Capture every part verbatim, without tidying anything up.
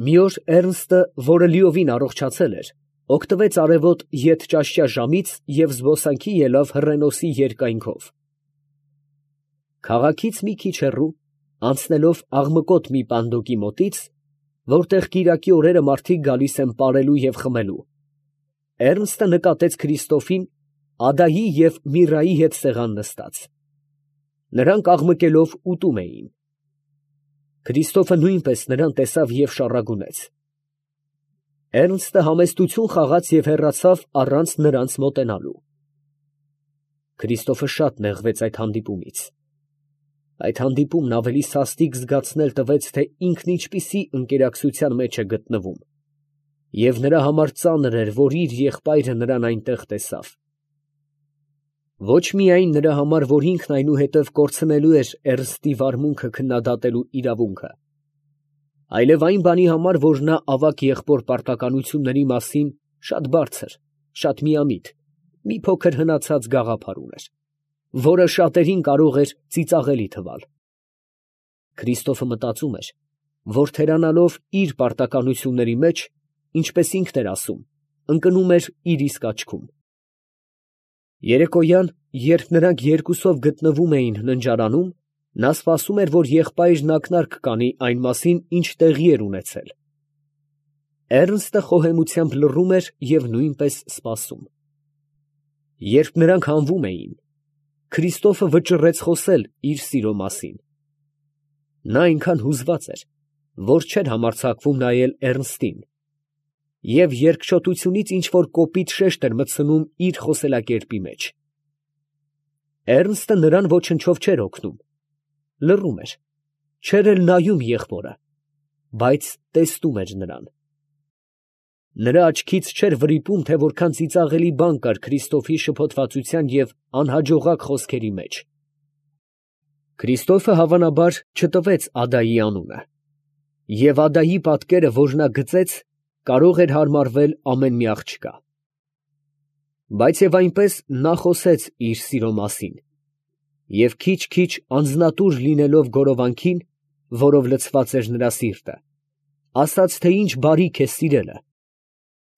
Մի օր Էռնստը, որը լիովին առողջացել էր, օգտվեց արևոտ ետճաշճա ժամից և զբոսանքի ելավ հռենոսի երկայնքով. քաղաքից մի քիչ հեռու, անցնելով աղմկոտ մի պանդոկի մոտից, որտեղ կիրակի օրերը մարդիկ գալիս են պարելու և խմելու, Էռնստը նկատեց Քրիստոֆին Ադայի և Միրայի հետ սեղան նստած. նրանք աղմկելով ուտում էին. Քրիստոֆը նույնպես նրան տեսավ և շառագունեց. Էռնստը համեստություն խաղաց և հեռացավ առանց նրանց մոտենալու։ Քրիստոֆը շատ նեղվեց այդ հանդիպումից. այդ հանդիպումն ավելի սաստիկ զգացնել տվեց, թե ինքն ինչպիսի ընկերակցության մեջ է գտնվում, և նրա համար ծանր էր, որ իր եղբայրը նրան այնտեղ տեսավ։ Ոչ միայն նրա համար, որ ինքն այնուհետև կորցնելու էր Էռնստի վարմունքը քննադատելու իրավունքը, այլև այն բանի համար, որ նա ավագ եղբոր պարտականությունների մասին շատ բարձր, շատ միամիտ, մի փոքր հնացած գաղափար ուներ, որը շատերին կարող էր ծիծաղելի թվալ։ Քրիստոֆը մտածում էր, որ թերանալով իր պարտականությունների մեջ, ինչպես ինքն էր ասում, ընկնում էր իր իսկ աչքում։ Երեկոյան, երբ նրանք երկուսով գտնվում էին ննջարանում, նա սպասում էր, որ եղբայրն ակնարկ կանի այն մասին, ինչ տեղի էր ունեցել։ Էռնստը խոհեմությամբ լռում էր և նույնպես սպասում։ Երբ նրանք հանվում էին, Քրիստոֆը վճռեց խոսել իր սիրո մասին։ Նա այնքան հուզված էր, որ չէր համարձակվում նայել Էռնստին, և երկչոտությունից ինչ֊որ կոպիտ շեշտ էր մտցնում իր խոսելակերպի մեջ։ Էռնստը նրան ոչնչով չէր օգնում, լռում էր, չէր էլ նայում եղբորը, բայց տեսնում էր նրան։ Նրա աչքից չէր վրիպում, թե որքան ծիծաղելի բան կար Քրիստոֆի շփոթվածության և անհաջողակ խոսքերի մեջ։ Քրիստոֆը, հավանաբար, չտվեց Ադայի անունը, և Ադայի պատկերը, որ նա գծեց, կարող էր հարմարվել ամեն մի աղջկա։ Բայց և այնպես նա խոսեց իր սիրո մասին, և քիչ֊քիչ անձնատուր լինելով գորովանքին, որով լցված էր նրա սիրտը, ասաց, թե ինչ բարիք է սիրելը,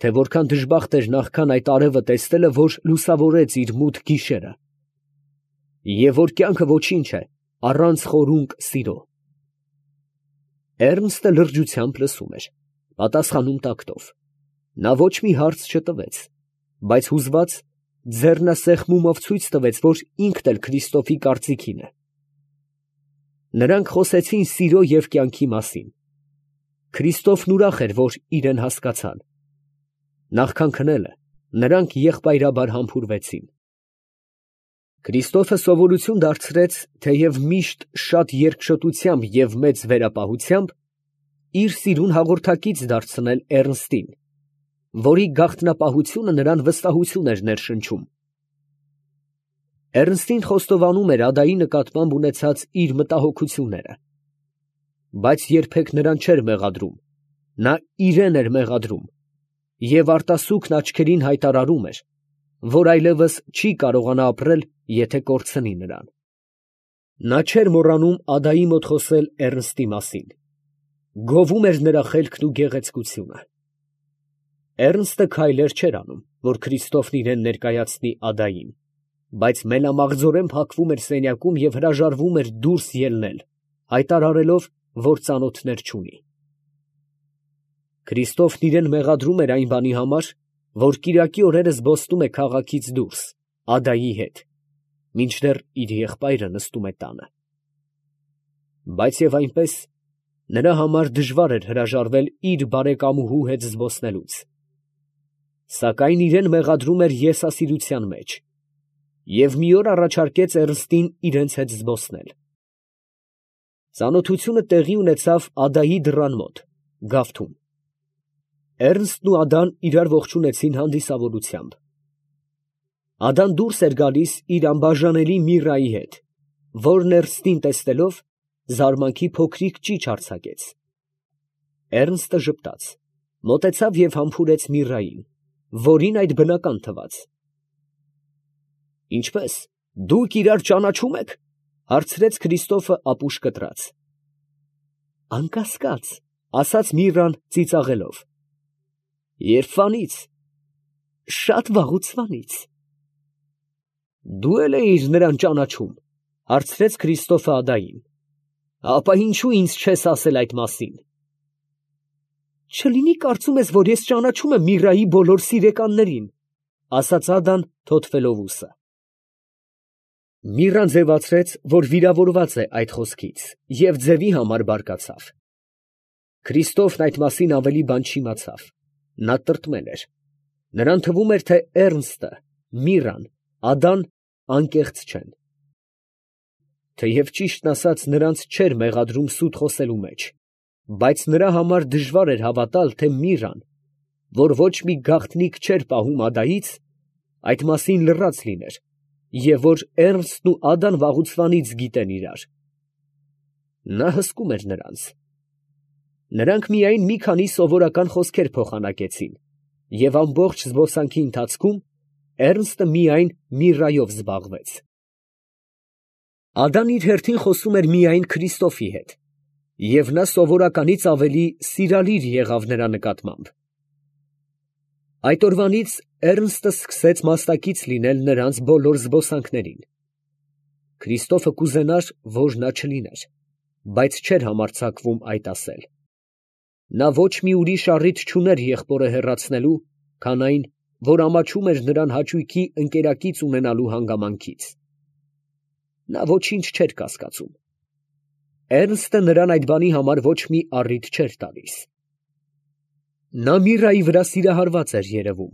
թե որքան դժբախտ էր նախքան այդ արևը տեսնելը, որ լուսավորեց իր մութ գիշերը, և որ կյանքը ոչինչ է առանց խորունկ սիրո։ Էռնստը լրջությամբ լսում էր, պատասխանում տակտով. նա ոչ մի հարց չտվեց, բայց հուզված, ձեռնասեղմումով ցույց տվեց, որ ինքն էլ Քրիստոֆի կարծիքին է։ Նրանք խոսեցին սիրո և կյանքի մասին։ Քրիստոֆն ուրախ էր, որ իրեն հասկացան։ Նախքան քնելը, նրանք եղբայրաբար համբուրվեցին։ Քրիստոֆը սովորություն դարձրեց, թեև միշտ շատ երկչոտությամբ և մեծ վերապահությամբ, իր սիրուն հաղորդակից դարձնել Էռնստին, որի գաղտնապահությունը նրան վստահություն էր ներշնչում։ Էռնստին խոստովանում էր Ադայի նկատմամբ ունեցած իր մտահոգությունները, բայց երբեք նրան չէր մեղադրում, նա իրան էր մեղադրում և արտասուքն աչքերին հայտարարում էր, որ այլևս չի կարողանա ապրել, եթե կորցնի նրան։ Նա չէր մոռանում Ադայի մոտ խոսել Էռնստի մասին, գովում էր նրա խելքն ու գեղեցկությունը։ Էռնստը քայլեր չէր անում, որ Քրիստոֆն իրան ներկայացնի Ադային, բայց մենամաղձորեն փակվում էր սենյակում և հրաժարվում էր դուրս ելնել, հայտարարելով, որ ծանոթներ չունի։ Քրիստոֆն իրան մեղադրում էր այն բանի համար, որ կիրակի օրերը զբոսնում է քաղաքից դուրս, Ադայի հետ, մինչդեռ իր եղբայրը նստում է տանը։ Բայց և այնպես, նրա համար դժվար էր հրաժարվել իր բարեկամուհու հետ զբոսնելուց։ Սակայն իրան մեղադրում էր եսասիրության մեջ, և մի օր առաջարկեց Էռնստին իրենց հետ զբոսնել։ Ծանոթությունը տեղի ունեցավ Ադայի դռան մոտ, գավթում։ Էռնստն ու Ադան իրար ողջունեցին հանդիսավորությամբ։ Ադան դուրս էր գալիս իր անբաժանելի Միրայի հետ, որ Էռնստին տեսնելով, զարմանքի փոքրիկ ճիչ արձակեց։ Էռնստը ժպտաց, մոտեցավ և համբուրեց Միրային, որին այդ բնական թվաց։ ֊ Ինչպե՞ս, դուք իրար ճանաչո՞ւմ եք, ֊ հարցրեց Քրիստոֆը ապուշ կտրած։ ֊ Անկասկած, ասաց Միրրան ծիծաղելով։ Երբվանից, շատ վաղուցվանից։ Դու էլ էիր նրան ճանաչում, հարցրեց Քրիստոֆը Ադային։ Ապա ինչու ինձ չես ասել այդ մասին։ Չլինի կարծում ես, որ ես ճանաչում եմ Միրրայի բոլոր սիրեկաններին, ասաց Ադան թոթվելով ուսը։ Միրրան ձևացրեց, որ վիրավորված է այդ խոսքից, և ձևի համար բարկացավ։ Քրիստոֆն այդ մասին ավելի բան չիմացավ, նա տրտմել էր, նրան թվում էր, թե Էռնստը, Միրրան, Ադան անկեղծ չեն։ Թեև ճիշտն ասած նրանց չէր մեղադրում սուտ խոսելու մեջ, բայց նրա համար դժվար էր հավատալ, թե Միրրան, որ ոչ մի գաղտնիք չէր պահում Ադայից, այդ մասին լռած լիներ, և որ Էռնստն ու Ադան վաղուցվանից գիտեն իրար։ Նա հսկում էր նրանց։ Նրանք միայն մի քանի սովորական խոսքեր փոխանակեցին, և ամբողջ զբոսանքի ընթացքում Էռնստը միայն Միրրայով զբաղվեց։ Ադան իր հերթին խոսում էր միայն Քրիստոֆի հետ, և նա սովորականից ավելի սիրալիր եղավ նրա նկատմամբ։ Այդ օրվանից Էռնստը սկսեց մասնակից լինել նրանց բոլոր զբոսանքներին։ Քրիստոֆը կուզենար, որ նա չլիներ, բայց չէր համարձակվում այդ ասել։ Նա ոչ մի ուրիշ առիթ չուներ եղբորը հեռացնելու, քան այն, որ ամաչում էր նրան հաճույքի ընկերակից ունենալու հանգամանքից։ Նա ոչինչ չէր կասկածում։ Էռնստը նրան այդ բանի համար ոչ մի առիթ չէր տալիս։ Նա Միրրայի վրա սիրահարված էր երևում,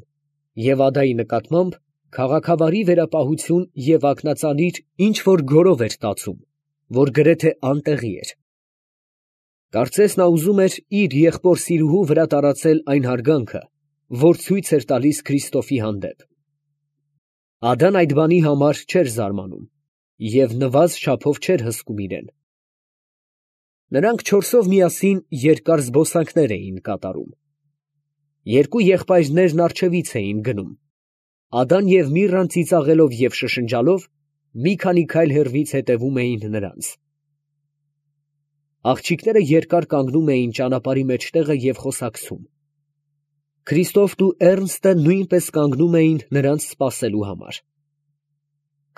և Ադայի նկատմամբ քաղաքավարի վերապահություն և ակնածանիր ինչ֊որ գորով էր տածում, որ գրեթե անտեղի էր։ Կարծես նա ուզում էր իր եղբոր֊սիրուհու վրա տարածել այն հարգանքը, որ ցույց էր տալիս Քրիստոֆի հանդեպ։ Ադան այդ բանի համար չէր զարմանում և նվազ չափով չէր հսկում իրեն։ Նրանք չորսով միասին երկար զբոսանքներ էին կատարում։ Երկու եղբայրներն առջևից էին գնում, Ադան և Միրրան ծիծաղելով և շշնջալով մի քանի քայլ հեռվից հետևում էին նրանց։ Աղջիկները երկար կանգնում էին ճանապարհի մեջտեղը և խոսակցում։ Քրիստոֆն ու Էռնստը նույնպես կանգնում էին նրանց սպասելու համար։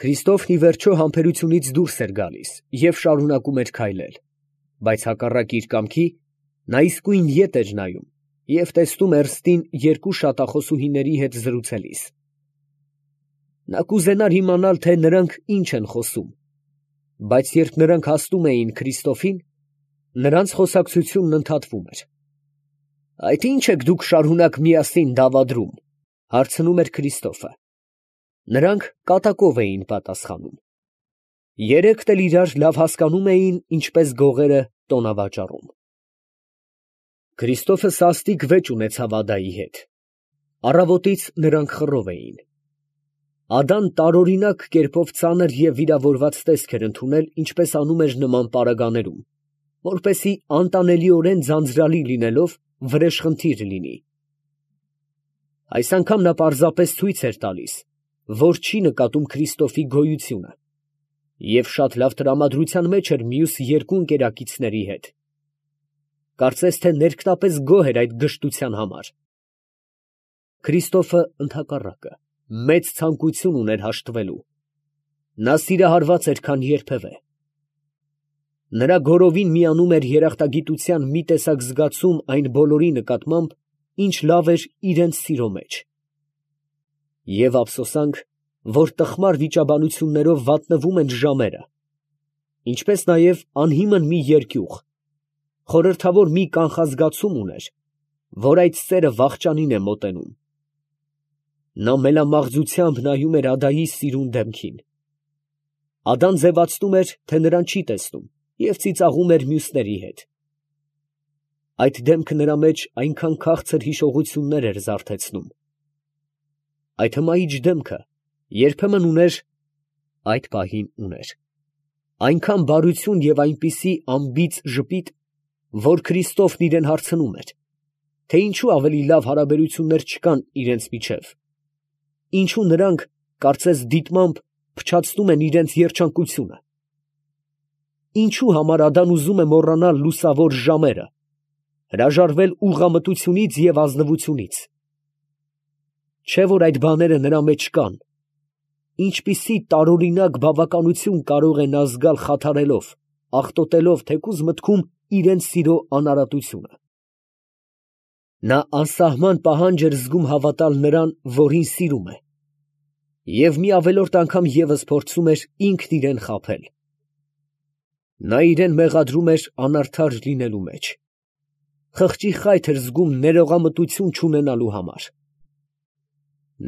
Քրիստոֆն ի վերջո համբերությունից դուրս էր գալիս և շարունակում էր քայլել, բայց հակառակ իր կամքի նա իսկույն ետ էր նայում և տեսնում Էռնստին երկու շատախոսուհիների հետ զրուցելիս։ Նա կուզենար իմանալ, թե նրանք ինչ են խոսում, բայց երբ նրանք հասնում էին Քրիստոֆին, նրանց խոսակցությունն ընդհատվում էր։ «Այդ ի՞նչ եք դուք շարունակ միասին դավադրում», ֊ հարցնում էր Քրիստոֆը։ Նրանք կատակով էին պատասխանում։ Երեքն էլ իրար լավ հասկանում էին, ինչպես գողերը տոնավաճառում։ Քրիստոֆը սաստիկ վեճ ունեցավ Ադայի հետ։ Առավոտից նրանք խռով էին։ Ադան տարօրինակ կերպով ծանր և վիրավորված տեսք էր ընդունել, ինչպես անում էր նման պարագաներում, որպեսզի անտանելիորեն ձանձրալի լինելով վրեժխնդիր լինի։ Այս անգամ նա պարզապես ցույց էր տալիս, որ չի նկատում Քրիստոֆի գոյությունը, և շատ լավ տրամադրության մեջ էր մյուս երկու ընկերակիցների հետ։ Կարծես թե ներքնապես գոհ էր այդ գժտության համար։ Քրիստոֆը, ընդհակառակը, մեծ ցանկություն ուներ հաշտվելու։ Նա սիրահարված էր, քան երբևէ։ Նրա գորովին միանում էր երախտագիտության մի տեսակ զգացում այն բոլորի նկատմամբ, ինչ լավ էր իրենց սիրո մեջ։ Եվ ափսոսանք, որ տխմար վիճաբանություններով վատնվում են ժամերը, ինչպես նաև անհիմն մի երկյուղ, խորհրդավոր մի կանխազգացում ուներ, որ այդ սերը վախճանին է մոտենում։ Նա մելամաղձությամբ նայում էր Ադայի սիրուն դեմքին։ Ադան ձևացնում էր, թե նրան չի տեսնում, և ծիծաղում էր մյուսների հետ։ Այդ դեմքը նրա մեջ այնքան քաղցր հիշողություններ էր զարթեցնում։ Այդ հմայիչ դեմքը երբեմն ուներ, այդ պահին ուներ, այնքան բարություն և այնպիսի անբիծ ժպիտ, որ Քրիստոֆն իրան հարցնում էր, թե ինչու ավելի լավ հարաբերություններ չկան իրենց միջև, ինչու նրանք, կարծես դիտմամբ, փչացնում են իրենց հրաժարվել ուղղամտությունից և ազնվությունից։ Չէ՞ որ այդ բաները նրա մեջ կան, ինչպիսի տարօրինակ բավականություն կարող է նա զգալ խաթարելով, աղտոտելով թեկուզ մտքում իրենց սիրո անարատությունը։ Նա անսահման պահանջ էր զգում հավատալ նրան, որին սիրում է, և մի ավելորդ անգամ ևս փորձում էր ինքն իրան խաբել։ Նա իրան մեղադրում էր անարդար լինելու մեջ, խղճի խայթ էր զգում ներողամտություն չունենալու համար։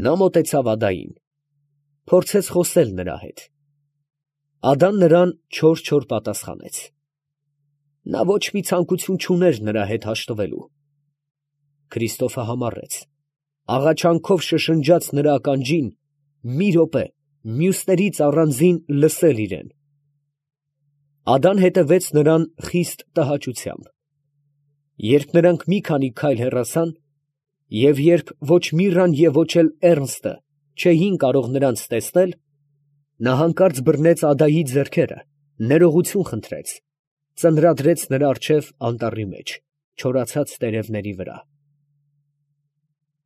Նա մոտեցավ Ադային, փորձեց խոսել նրա հետ։ Ադան նրան չոր֊չոր պատասխանեց։ Նա ոչ մի ցանկություն չուներ նրա հետ հաշտվելու։ Քրիստոֆը համառեց, աղաչանքով շշնջաց նրա ականջին մի րոպե մյուսներից առանձին լսել իրան։ Ադան հետևեց նրան խիստ տհաճությամբ։ Երբ նրանք մի քանի քայլ հեռացան, և երբ ոչ Միրրան և ոչ էլ Էռնստը չէին կարող նրանց տեսնել, նա հանկարծ բռնեց Ադայի ձեռքերը, ներողություն խնդրեց, ծնրադրեց նրա առջև անտառի մեջ, չորացած տերևների վրա։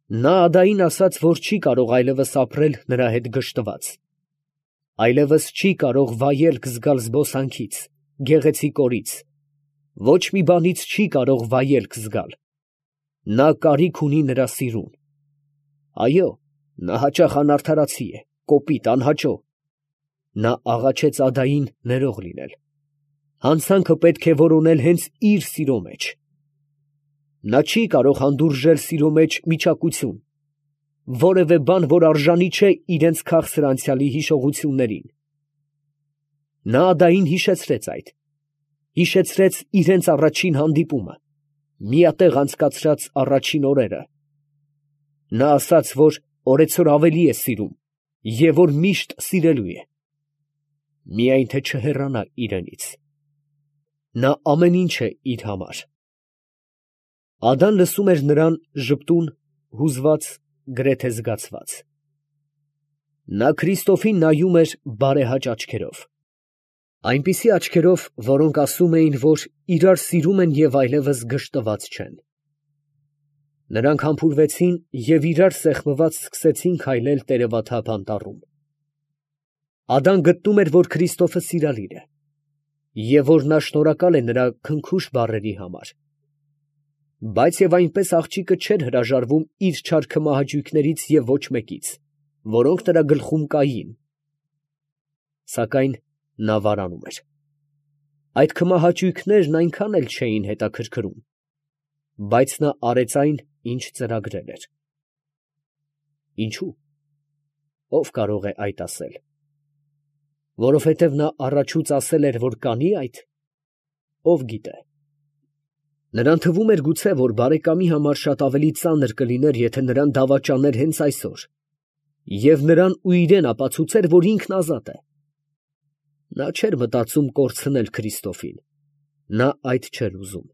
Նա Ադային ասաց, որ չի կարող այլևս ապրել նրա հետ գժտված, այլևս չի կարող վայելք զգալ զբոսանքից, գեղեցիկ օրից, ոչ մի բանից չի կարող վայելք զգալ։ Նա կարիք ունի նրա սիրուն։ Այո, նա հաճախ անարդարացի է, կոպիտ, անհաճո։ Նա աղաչեց Ադային ներող լինել։ Հանցանքը պետք է որոնել հենց իր սիրո մեջ։ Նա չի կարող հանդուրժել սիրո մեջ միճակություն, որևէ բան, որ արժանի չէ իրենց քաղցր անցյալի հիշողություններին։ Նա Ադային հիշեցրեց այդ, հիշեցրեց իրենց առաջին հանդիպումը, միատեղ անցկացրած առաջին օրերը։ Նա ասաց, որ օրեցօր ավելի է սիրում և որ միշտ սիրելու է, միայն թե չհեռանա իրենից։ Նա ամեն ինչ է իր համար։ Ադան լսում էր նրան ժպտուն, հուզված, գրեթե զգացված։ Նա Քրիստոֆին նայում էր բարեհաճ աչքերով, այնպիսի աչքերով, որոնք ասում էին, որ իրար սիրում են և այլևս գժտված չեն։ Նրանք համբուրվեցին և իրար սեղմված սկսեցին քայլել տերևաթափ անտառում։ Ադան գտնում էր, որ Քրիստոֆը սիրալիր է, և որ նա շնորհակալ է նրա քնքուշ բառերի համար։ Բայց և այնպես աղջիկը չէր հրաժարվում իր չար քմահաճույքներից և ոչ մեկից, որոնք նրա գլխում կային։ Սակայն նա վարանում էր։ Այդ քմահաճույքներն այնքան էլ չէին հետաքրքրում, բայց նա արեց այն, ինչ ծրագրել էր։ Ինչո՞ւ։ Ո՞վ կարող է այդ ասել։ Որովհետև նա առաջուց ասել էր, որ կանի այդ։ Ո՞վ գիտե։ Նրան թվում էր գուցե, որ բարեկամի համար շատ ավելի ծանր կլիներ, եթե նրան դավաճաներ հենց այսօր, և նրան ու իրան ապացուցեր, որ ինքն ազատ է։ Նա չէր մտածում կորցնել Քրիստոֆին, նա այդ չէր ուզում։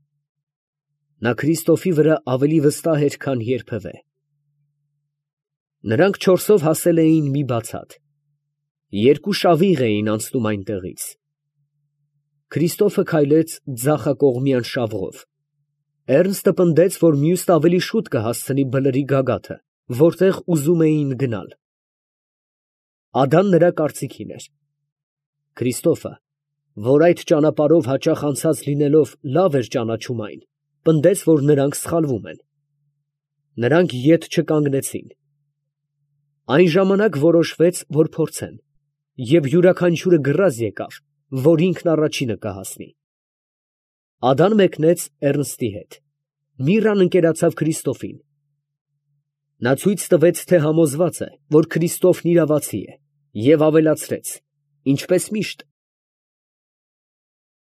Նա Քրիստոֆի վրա ավելի վստահ էր, քան երբևէ։ Նրանք չորսով հասել էին մի բացատ։ Երկու շավիղ էին անցնում այնտեղից։ Քրիստոֆը քայլեց ձախակողմյան շավղով։ Էռնստը պնդեց, որ մյուսն ավելի շուտ կհասցնի բլրի գագաթը, որտեղ ուզում էին գնալ։ Ադան նրա կարծիքին էր։ Քրիստոֆը, որ այդ ճանապարհով հաճախ անցած լինելով լավ էր ճանաչում այն, պնդեց, որ նրանք սխալվում են։ Նրանք ետ չկանգնեցին։ Այն ժամանակ որոշվեց, որ փորձեն, և յուրաքանչյուրը գրազ եկավ, որ ինքն առաջինը կհասնի։ Ադան մեկնեց Էռնստի հետ, Միրրան ընկերացավ Քրիստոֆին։ Նա ցույց տվեց, թե համոզված է, որ Քրիստոֆն իրավացի է, և ավելացրեց, ինչպես միշտ